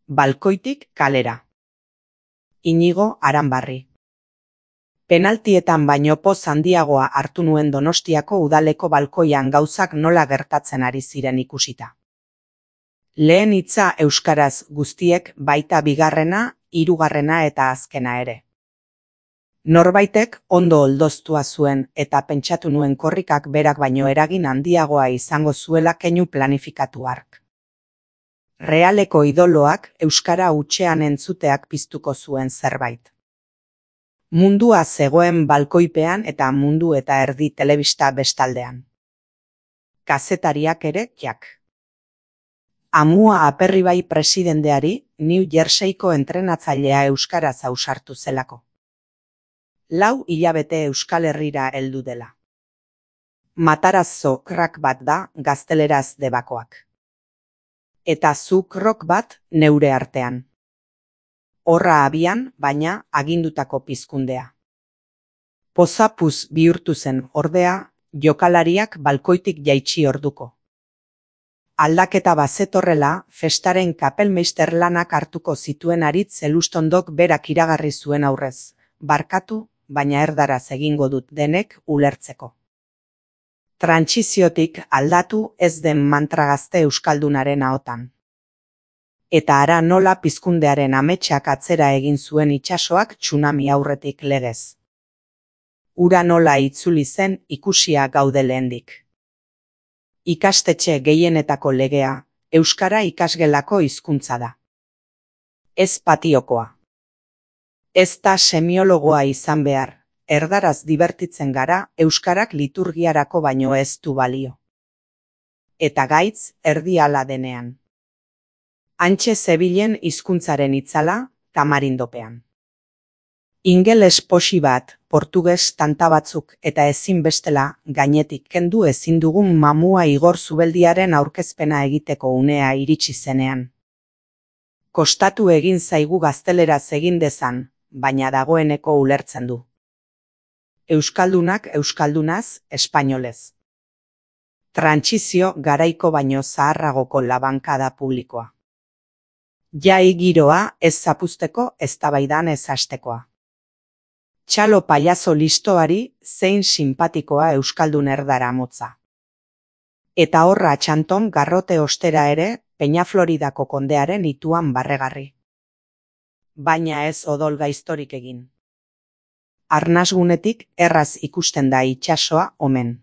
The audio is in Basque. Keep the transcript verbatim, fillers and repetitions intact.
Balkoitik kalera. Inigo Aranbarri. Penaltietan baino poz handiagoa hartu nuen Donostiako udaleko balkoian gauzak nola gertatzen ari ziren ikusita. Lehen hitza euskaraz guztiek, baita bigarrena, hirugarrena eta azkena ere. Norbaitek ondo oldoztua zuen eta pentsatu nuen korrikak berak baino eragin handiagoa izango zuela keinu planifikatu hark. Realeko idoloak euskara hutsean entzuteak piztuko zuen zerbait. Mundua zegoen balkoipean eta Mundu eta Erdi telebista bestaldean. Kazetariak ere jak. Amua Aperribai presidenteari New Jerseyko entrenatzailea euskaraz ausartu zelako. Lau hilabete Euskal Herrira heldu dela. Matarazzo crack bat da gazteleraz debakoak. Eta zu krok bat neure artean. Horra abian, baina agindutako pizkundea. Pozapuz bihurtu zen ordea, jokalariak balkoitik jaitsi orduko. Aldaketa bazetorrela, festaren kapelmeister lanak hartuko zituen Aritz Elustondok berak iragarri zuen aurrez. Barkatu, baina erdaraz egingo dut denek ulertzeko. Trantsiziotik aldatu ez den mantra gazte euskaldunaren ahotan. Eta ara nola pizkundearen ametsak atzera egin zuen itsasoak tsunami aurretik legez. Ura nola itzuli zen ikusia gaude lehendik. Ikastetxe gehienetako legea, euskara ikasgelako hizkuntza da. Ez patiokoa. Ez da semiologoa izan behar, erdaraz dibertitzen gara, euskarak liturgiarako baino ez du balio. Eta gaitz erdiala denean. Hantxe zebilen hizkuntzaren itzala, tamarindopean. Ingeles posi bat, portuges tanta batzuk eta ezin bestela, gainetik kendu ezin dugun mamua Igor Zubeldiaren aurkezpena egiteko unea iritsi zenean. Kostatu egin zaigu gazteleraz egin dezan, baina dagoeneko ulertzen du. Euskaldunak euskaldunaz, espainolez. Trantsizio garaiko baino zaharragoko labankada publikoa. Jai giroa ez zapuzteko eztabaidan ez hastekoa. Txalo pailazo listoari zein sinpatikoa euskaldun erdara motza. Eta horra txanton garrote ostera ere Peñafloridako kondearen ituan barregarri. Baina ez odol gaiztorik egin. Arnasgunetik erraz ikusten da itsasoa omen.